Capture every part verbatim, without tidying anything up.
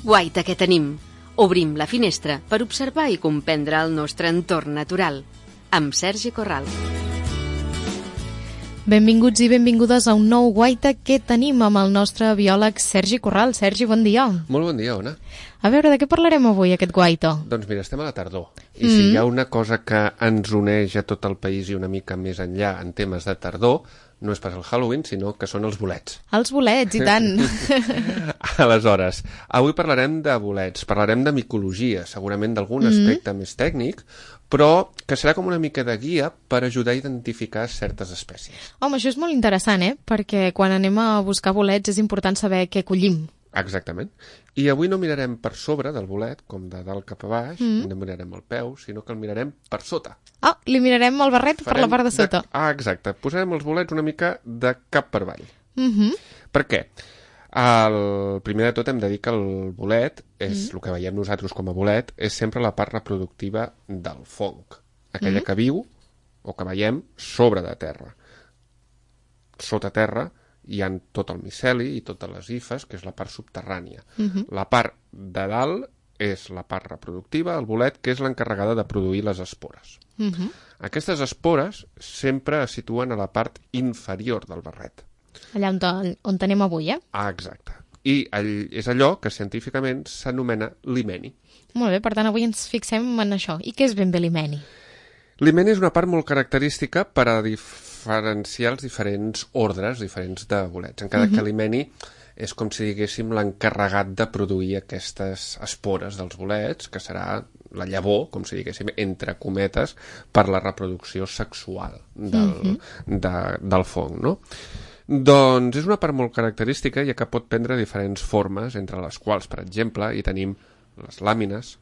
Guaita que tenim. Obrim la finestra per observar i comprendre el nostre entorn natural. Amb Sergi Corral. Benvinguts i benvingudes a un nou Guaita que tenim amb el nostre biòleg Sergi Corral. Sergi, bon dia. Molt bon dia, Ona. A veure, de què parlarem avui, aquest Guaita? Doncs mira, estem a la tardor. I mm. si hi ha una cosa que ens uneix a tot el país i una mica més enllà en temes de tardor, no és pas el Halloween, sinó que són els bolets. Els bolets, i tant. Aleshores, avui parlarem de bolets, parlarem de micologia, segurament d'algun mm. aspecte més tècnic, però que serà com una mica de guia per ajudar a identificar certes espècies. Home, això és molt interessant, eh? Perquè quan anem a buscar bolets és important saber què collim. Exactament. I avui no mirarem per sobre del bolet, com de dalt cap a baix, mm. no mirarem el peu, sinó que el mirarem per sota. Ah, oh, li mirarem el barret Farem per la part de sota. De... Ah, exacte. Posarem els bolets una mica de cap per avall. Mm -hmm. Per què? El... Primer de tot hem de dir que el bolet, és mm. el que veiem nosaltres com a bolet, és sempre la part reproductiva del fong. Aquella mm. que viu, o que veiem, sobre de terra. Sota terra hi ha tot el miceli i totes les hifes, que és la part subterrània. Uh-huh. La part de dalt és la part reproductiva, el bolet, que és l'encarregada de produir les espores. Uh-huh. Aquestes espores sempre es situen a la part inferior del barret. Allà on, on tenim avui, eh? Ah, exacte. I all, és allò que científicament s'anomena l'himeni. Molt bé, per tant, avui ens fixem en això. I què és ben bé l'himeni? L'himeni és una part molt característica per a diferenciar els diferents ordres, diferents de bolets. Encara uh-huh. que l'himeni és com si diguéssim l'encarregat de produir aquestes espores dels bolets, que serà la llavor, com si diguéssim, entre cometes, per la reproducció sexual del, uh-huh. de, del fong, no? Doncs és una part molt característica, ja que pot prendre diferents formes, entre les quals, per exemple, hi tenim les làmines,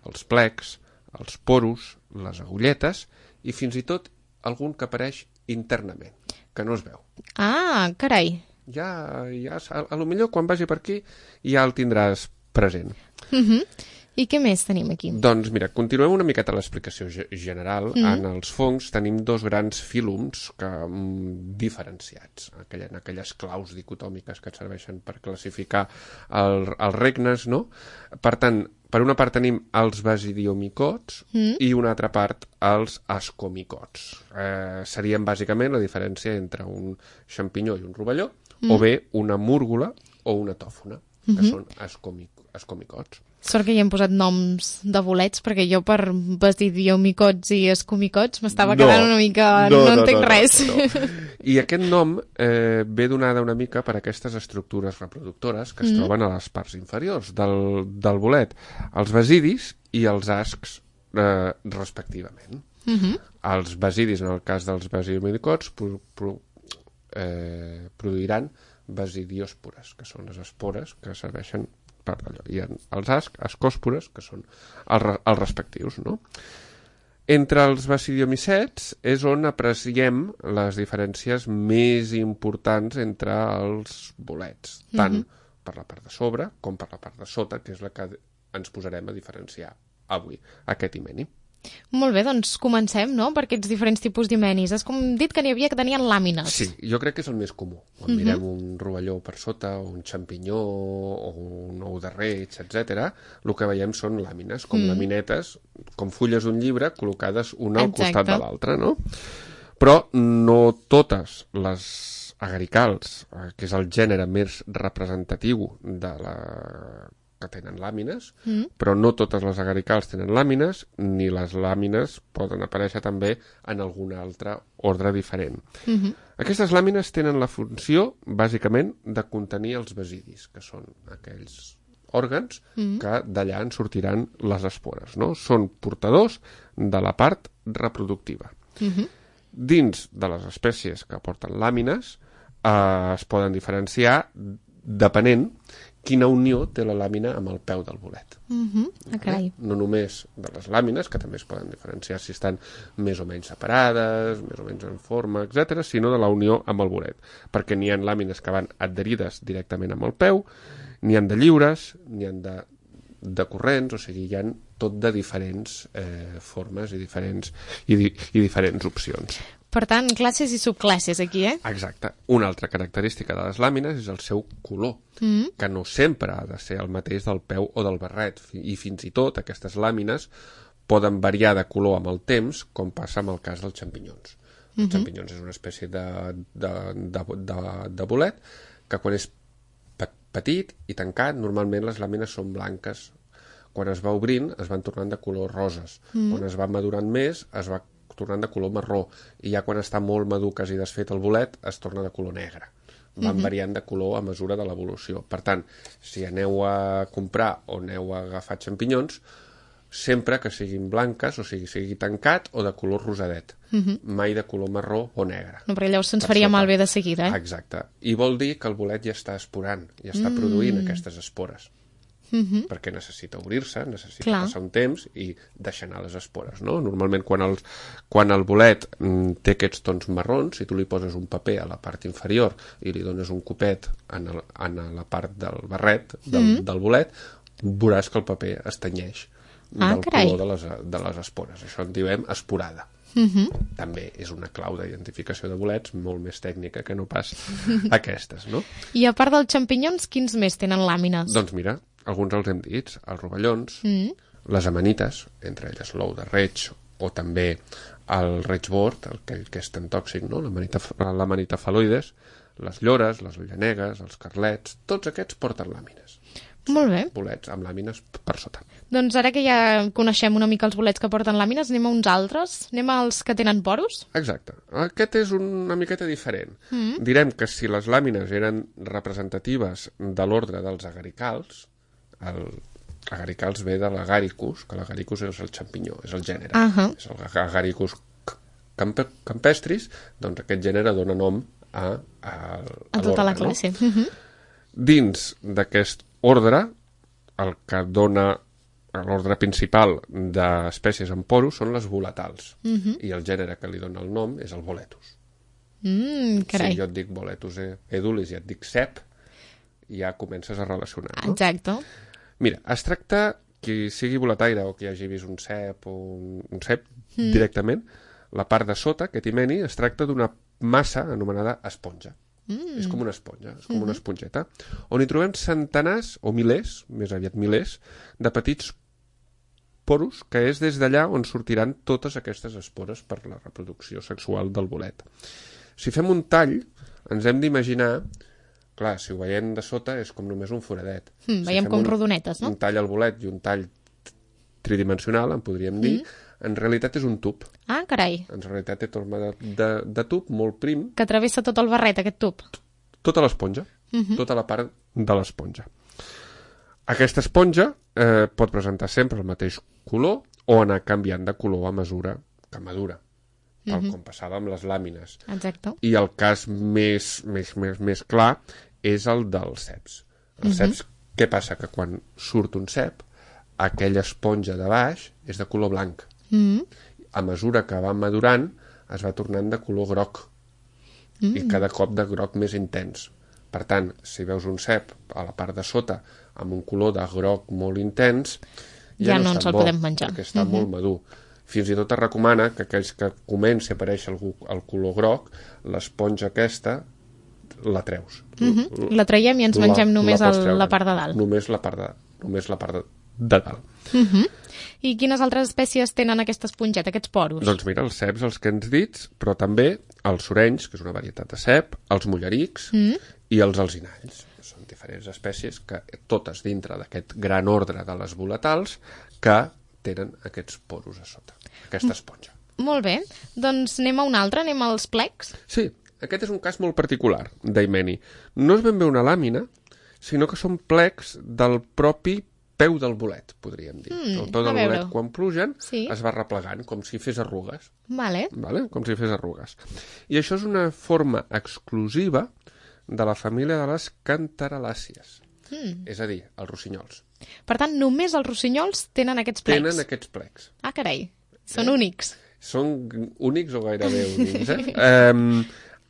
els plecs, els poros, les agulletes i fins i tot algun que apareix internament, que no es veu. Ah, carai. Ja, ja a, a lo millor quan vagi per aquí ja el tindràs present. Uh-huh. I què més tenim aquí? Doncs mira, continuem una miqueta l'explicació general. Mm. En els fongs tenim dos grans fílums que, mm, diferenciats, aquella, en aquelles claus dicotòmiques que et serveixen per classificar el, els regnes, no? Per tant, per una part tenim els basidiomicots mm. i una altra part els ascomicots. Eh, serien bàsicament la diferència entre un xampinyó i un rovelló, mm. o bé una múrgola o una tòfona, que mm-hmm. són ascomic ascomicots. Sort que hi hem posat noms de bolets, perquè jo per basidiomicots i escomicots m'estava no, quedant una mica... No, no, no entenc no, res. No, no. I aquest nom eh, ve donada una mica per aquestes estructures reproductores que es mm. troben a les parts inferiors del, del bolet, els basidis i els ascs eh, respectivament. Mm-hmm. Els basidis, en el cas dels basidiomicots, pro, pro, eh, produiran basidiòspores, que són les espores que serveixen per allò. I els ascs, ascòspores, que són els, els respectius, no? Entre els basidiomicets és on apreciem les diferències més importants entre els bolets, tant mm-hmm. per la part de sobre com per la part de sota, que és la que ens posarem a diferenciar avui, aquest himeni. Molt bé, doncs comencem, no?, per aquests diferents tipus d'himenis. Has com dit que n'hi havia que tenien làmines. Sí, jo crec que és el més comú. Quan mm-hmm. mirem un rovelló per sota, o un xampinyó, o un ou de reig, etcètera, el que veiem són làmines, com mm. laminetes, com fulles d'un llibre, col·locades una al Exacte. costat de l'altra, no? Però no totes les agaricals, que és el gènere més representatiu de la... que tenen làmines, mm. però no totes les agaricals tenen làmines, ni les làmines poden aparèixer també en algun altre ordre diferent. Mm-hmm. Aquestes làmines tenen la funció, bàsicament, de contenir els basidis, que són aquells òrgans mm. que d'allà en sortiran les espores, no? Són portadors de la part reproductiva. Mm-hmm. Dins de les espècies que porten làmines eh, es poden diferenciar depenent quina unió té la làmina amb el peu del bolet. Mm-hmm. Okay. No només de les làmines, que també es poden diferenciar si estan més o menys separades, més o menys en forma, etcètera, sinó de la unió amb el bolet. Perquè n'hi ha làmines que van adherides directament amb el peu, n'hi ha de lliures, n'hi ha de, de corrents, o sigui, hi ha tot de diferents eh, formes i diferents, i, di i diferents opcions. Per tant, classes i subclasses aquí, eh? Exacte. Una altra característica de les làmines és el seu color, mm. que no sempre ha de ser el mateix del peu o del barret, i fins i tot aquestes làmines poden variar de color amb el temps, com passa amb el cas dels xampinyons. Mm-hmm. Els xampinyons és una espècie de, de, de, de, de bolet que quan és petit i tancat, normalment les làmines són blanques. Quan es va obrint, es van tornant de color roses. Mm. Quan es va madurant més, es va tornant de color marró. I ja quan està molt madur, quasi desfet el bolet, es torna de color negre. Van mm-hmm. variant de color a mesura de l'evolució. Per tant, si aneu a comprar o aneu a agafar xampinyons, sempre que siguin blanques, o sigui, sigui tancat o de color rosadet. Mm-hmm. Mai de color marró o negre. No, perquè llavors se'ns faria malbé de seguida, eh? Exacte. I vol dir que el bolet ja està esporant, ja està mm. produint aquestes espores. Mm-hmm. Perquè necessita obrir-se, necessita Clar. passar un temps i deixar anar les espores, no? Normalment quan el, quan el bolet mm, té aquests tons marrons, si tu li poses un paper a la part inferior i li dones un copet en, el, en la part del barret del, mm-hmm. del bolet, veuràs que el paper es tenyeix ah, del carai. color de les, de les espores. Això en diem esporada. Mm-hmm. També és una clau d'identificació de bolets molt més tècnica que no pas aquestes, no? I a part dels xampinyons, quins més tenen làmines? Doncs mira, alguns els hem dit, els rovellons, mm. les amanites, entre elles l'ou de reig o també el reigboard, el que, que és tan tòxic, no? L'amanita faloides, les llores, les llanegues, els carlets, tots aquests porten làmines. Molt bé. Bolets amb làmines per sota. Doncs ara que ja coneixem una mica els bolets que porten làmines, anem a uns altres? Anem als que tenen poros? Exacte. Aquest és una miqueta diferent. Mm. Direm que si les làmines eren representatives de l'ordre dels agaricals, el agaricals ve de l'agaricus, que l'agaricus és el xampinyó, és el gènere. Uh -huh. És el agaricus camp campestris, doncs aquest gènere dona nom a, a, a, a tota la no? classe. Uh -huh. Dins d'aquest ordre, el que dona l'ordre principal d'espècies amb poros són les volatals. Uh -huh. I el gènere que li dona el nom és el boletus. Mm, carai. Si jo et dic boletus edulis i et dic cep, ja comences a relacionar, no? Exacte. Mira, es tracta, qui sigui boletaire o qui hagi vist un cep o un, un cep mm. directament, la part de sota, aquest himeni, es tracta d'una massa anomenada esponja. Mm. És com una esponja, és com mm-hmm. una esponjeta, on hi trobem centenars o milers, més aviat milers, de petits poros, que és des d'allà on sortiran totes aquestes espores per la reproducció sexual del bolet. Si fem un tall, ens hem d'imaginar, clar, si ho veiem de sota és com només un foradet. Mm, si veiem com un, rodonetes, no? Un tall al bolet i un tall tridimensional, en podríem dir, mm. en realitat és un tub. Ah, carai. En realitat té forma de, de, de tub molt prim. Que travessa tot el barret, aquest tub. Tota l'esponja, mm-hmm. tota la part de l'esponja. Aquesta esponja eh, pot presentar sempre el mateix color o anar canviant de color a mesura que madura, tal mm-hmm. com passava amb les làmines. Exacte. I el cas més, més, més, més clar és el dels ceps. Els mm-hmm. ceps, què passa? Que quan surt un cep, aquella esponja de baix és de color blanc. Mm-hmm. A mesura que va madurant, es va tornant de color groc. Mm-hmm. I cada cop de groc més intens. Per tant, si veus un cep a la part de sota amb un color de groc molt intens, ja, ja no, no ens el bo, podem menjar. Perquè està mm-hmm. molt madur. Fins i tot es recomana que aquells que comenci a aparèixer el, el color groc, l'esponja aquesta la treus. Mm-hmm. La traiem i ens la, mengem només la, el, la part de dalt. Només la part de, només la part de, de dalt. Mm-hmm. I quines altres espècies tenen aquesta esponjeta, aquests poros? Doncs mira, els ceps, els que ens dits, però també els sorenys, que és una varietat de cep, els mollerics mm. i els alzinalls. Són diferents espècies que totes dintre d'aquest gran ordre de les volatals que tenen aquests poros a sota, aquesta esponja. Molt bé, doncs anem a un altre, anem als plecs. Sí, aquest és un cas molt particular d'himeni. No és ben bé una làmina, sinó que són plecs del propi peu del bolet, podríem dir. Mm, el peu del bolet, quan plugen, sí. es va replegant, com si fes arrugues. Vale. Vale? Com si fes arrugues. I això és una forma exclusiva de la família de les cantaralàcies. Mm. És a dir, els rossinyols. Per tant, només els rossinyols tenen aquests plecs? Tenen aquests plecs. Ah, carai. Són eh? únics. Són únics o gairebé únics, eh? um,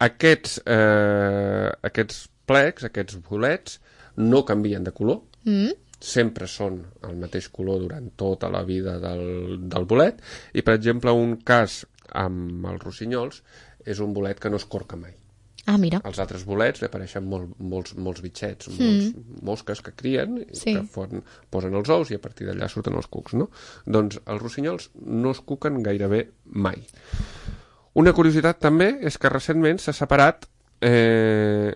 aquests, uh, aquests plecs, aquests bolets, no canvien de color, mm. sempre són el mateix color durant tota la vida del, del bolet, i per exemple un cas amb els rossinyols és un bolet que no es corca mai. Ah, mira. Als altres bolets li apareixen molt, molts, molts bitxets, molts mm. mosques que crien, sí. que fon, posen els ous i a partir d'allà surten els cucs, no? Doncs els rossinyols no es cuquen gairebé mai. Una curiositat també és que recentment s'ha separat eh,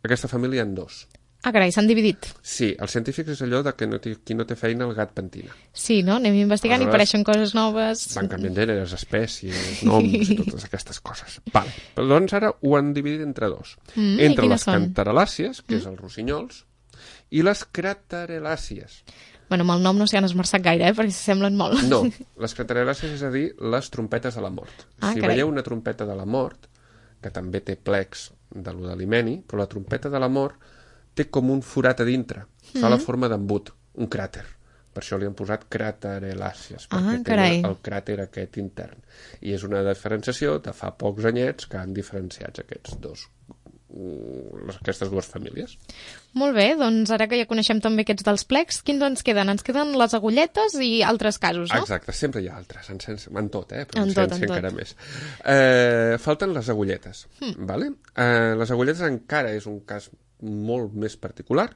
aquesta família en dos. Ah, carai, s'han dividit. Sí, els científics és allò de que no té, qui no té feina el gat pentina. Sí, no? Anem investigant aleshores, i apareixen coses noves. Van canviant gèneres, espècies, noms i totes aquestes coses. Vale. Però doncs ara ho han dividit entre dos. Mm, entre les són? cantarelàcies, que mm. és els rossinyols, i les craterelàcies. Bueno, amb el nom no s'hi han esmerçat gaire, eh? Perquè s'assemblen molt. No, les craterelàcies és a dir, les trompetes de la mort. Ah, si carai. veieu una trompeta de la mort, que també té plecs de lo de l'himeni, però la trompeta de la mort té com un forat a dintre, fa mm-hmm. la forma d'embut, un cràter. Per això li han posat craterelàcies, perquè ah, carai. té el cràter aquest intern. I és una diferenciació de fa pocs anyets que han diferenciat aquests dos, aquestes dues famílies. Molt bé, doncs ara que ja coneixem també aquests dels plecs, quins ens queden? Ens queden les agulletes i altres casos, no? Exacte, sempre hi ha altres, en, sens, en tot, eh? Però en, en tot, ciència en encara tot. més. Eh, falten les agulletes, hmm. vale? Eh, les agulletes encara és un cas molt més particular,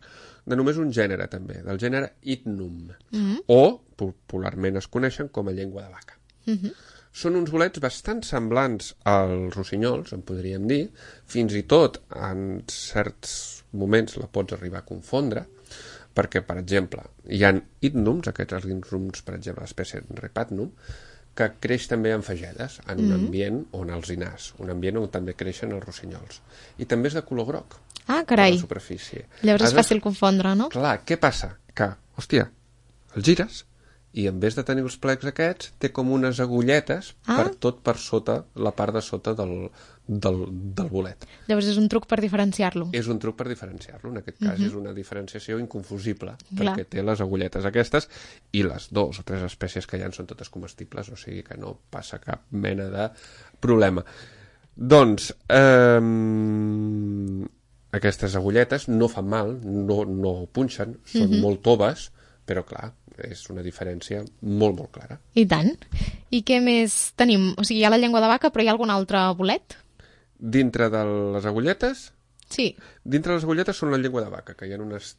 de només un gènere també, del gènere Hypnum, mm-hmm. o popularment es coneixen com a llengua de vaca. Mm-hmm. Són uns bolets bastant semblants als rossinyols, en podríem dir, fins i tot en certs moments la pots arribar a confondre, perquè, per exemple, hi ha Hypnums, aquests Hypnums, per exemple, l'espècie Repatnum, que creix també en fagedes, en un mm-hmm. ambient on els hinars, un ambient on també creixen els rossinyols. I també és de color groc. Ah, carai. A la superfície. Llavors és fàcil confondre, no? Clar, què passa? Que, hòstia, el gires i en vez de tenir els plecs aquests, té com unes agulletes ah. per tot per sota, la part de sota del, del, del bolet. Llavors és un truc per diferenciar-lo. És un truc per diferenciar-lo. En aquest cas mm-hmm. és una diferenciació inconfusible, Clar. perquè té les agulletes aquestes i les dues o tres espècies que hi ha són totes comestibles, o sigui que no passa cap mena de problema. Doncs, eh, aquestes agulletes no fan mal, no, no punxen, són mm-hmm. molt toves, però clar, és una diferència molt, molt clara. I tant. I què més tenim? O sigui, hi ha la llengua de vaca, però hi ha algun altre bolet? Dintre de les agulletes? Sí. Dintre de les agulletes són la llengua de vaca, que hi ha unes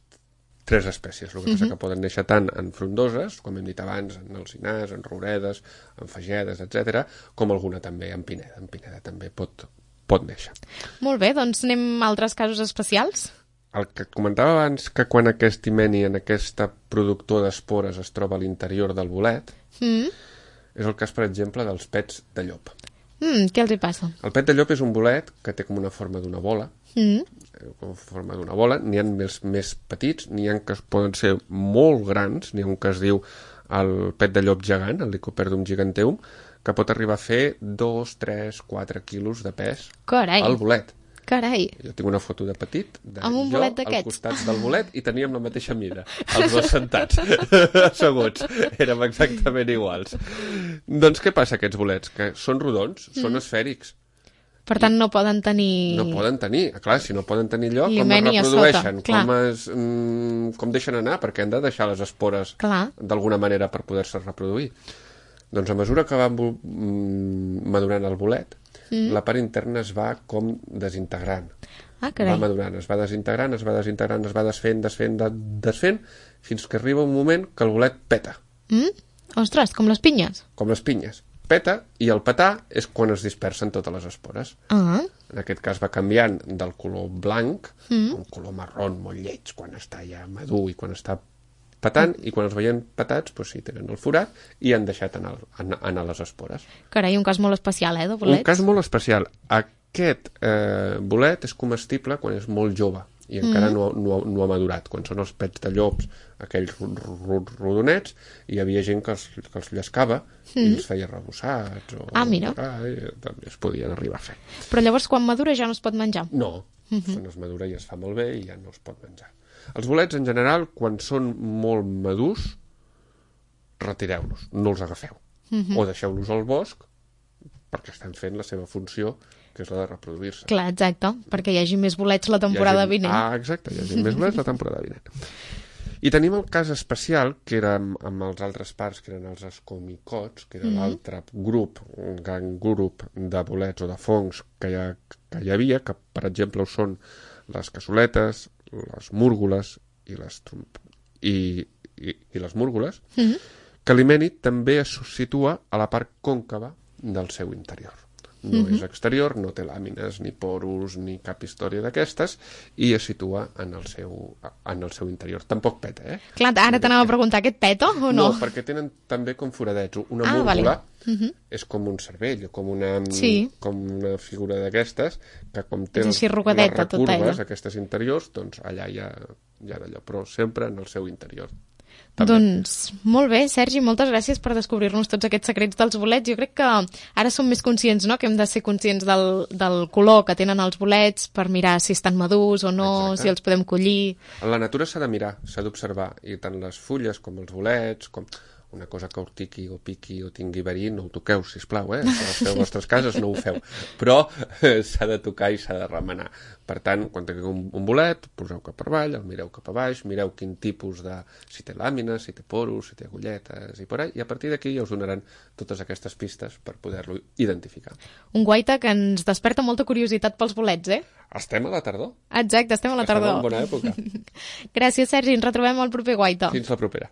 tres espècies, el que passa mm-hmm. que poden néixer tant en frondoses, com hem dit abans, en alzinars, en rouredes, en fagedes, etcètera, com alguna també en pineda. En pineda també pot, pot néixer. Molt bé, doncs anem a altres casos especials. El que comentava abans, que quan aquest himeni, en aquesta productor d'espores, es troba a l'interior del bolet, mm. és el cas, per exemple, dels pets de llop. Mm, què els hi passa? El pet de llop és un bolet que té com una forma d'una bola, mm. com forma d'una bola, n'hi ha més, més petits, n'hi ha que poden ser molt grans, n'hi ha un que es diu el pet de llop gegant, el Lycoperdum giganteum, que pot arribar a fer dos, tres, quatre quilos de pes Carai. al bolet. Carai. Jo tinc una foto de petit, de amb un jo bolet al costat del bolet, i teníem la mateixa mida, els dos sentats, asseguts. Érem exactament iguals. Doncs què passa aquests bolets? Que són rodons, mm. són esfèrics. Per tant, no poden tenir... No poden tenir, clar, si no poden tenir lloc, com es reprodueixen, com, es, mm, com deixen anar, perquè han de deixar les espores d'alguna manera per poder-se reproduir. Doncs a mesura que va madurant el bolet, mm. la part interna es va com desintegrant. Ah, carai. Va madurant, es va desintegrant, es va desintegrant, es va desfent, desfent, desfent, fins que arriba un moment que el bolet peta. Mm? Ostres, com les pinyes. Com les pinyes. Peta, i el petar és quan es dispersen totes les espores. Ah. En aquest cas va canviant del color blanc mm. a un color marrón molt lleig quan està ja madur i quan està petant, i quan els veien petats, doncs sí, tenen el forat i han deixat anar, anar, anar les espores. Carai, un cas molt especial, eh, de bolets? Un cas molt especial. Aquest eh, bolet és comestible quan és molt jove i encara mm. no, no, no ha madurat. Quan són els pets de llops, aquells rodonets, hi havia gent que els, que els llescava mm. i els feia rebossats. O, ah, mira. O, també es podien arribar a fer. Però llavors, quan madura, ja no es pot menjar? No, mm-hmm. quan es madura ja es fa molt bé i ja no es pot menjar. Els bolets, en general, quan són molt madurs, retireu-los, no els agafeu. Mm-hmm. O deixeu-los al bosc, perquè estan fent la seva funció, que és la de reproduir-se. Clar, exacte, perquè hi hagi més bolets la temporada hagi... vinent. Ah, exacte, hi hagi més bolets la temporada vinent. I tenim el cas especial, que era amb, amb els altres parts, que eren els escomicots, que era mm-hmm. l'altre grup, un gran grup de bolets o de fongs que hi, ha, que hi havia, que per exemple ho són les cassoletes, les múrgoles i les, i, i, i les múrgoles, mm-hmm. que l'himènid també es situa a la part còncava del seu interior. No mm-hmm. és exterior, no té làmines, ni porus, ni cap història d'aquestes, i es situa en el seu, en el seu interior. Tampoc peta, eh? Clar, ara t'anava a preguntar, aquest peta o no? No, perquè tenen també com foradets. Una ah, múrgola vale. mm-hmm. és com un cervell, com una, sí. com una figura d'aquestes, que com té les recurves tota aquestes interiors, doncs allà hi ha, hi ha d'allò, però sempre en el seu interior. També. Doncs molt bé, Sergi, moltes gràcies per descobrir-nos tots aquests secrets dels bolets. Jo crec que ara som més conscients, no?, que hem de ser conscients del, del color que tenen els bolets per mirar si estan madurs o no, exacte. Si els podem collir. En la natura s'ha de mirar, s'ha d'observar, i tant les fulles com els bolets, com una cosa que urtiqui o piqui o tingui verí, no ho toqueu, sisplau, eh? Si les feu a les vostres cases no ho feu, però eh, s'ha de tocar i s'ha de remenar. Per tant, quan tingueu un, un bolet, poseu cap per avall, el mireu cap a baix, mireu quin tipus de... si té làmines, si té poros, si té agulletes i por ahí, i a partir d'aquí ja us donaran totes aquestes pistes per poder-lo identificar. Un guaita que ens desperta molta curiositat pels bolets, eh? Estem a la tardor. Exacte, estem a la tardor. Estem en bona època. Gràcies, Sergi, ens retrobem al proper guaita. Fins la propera.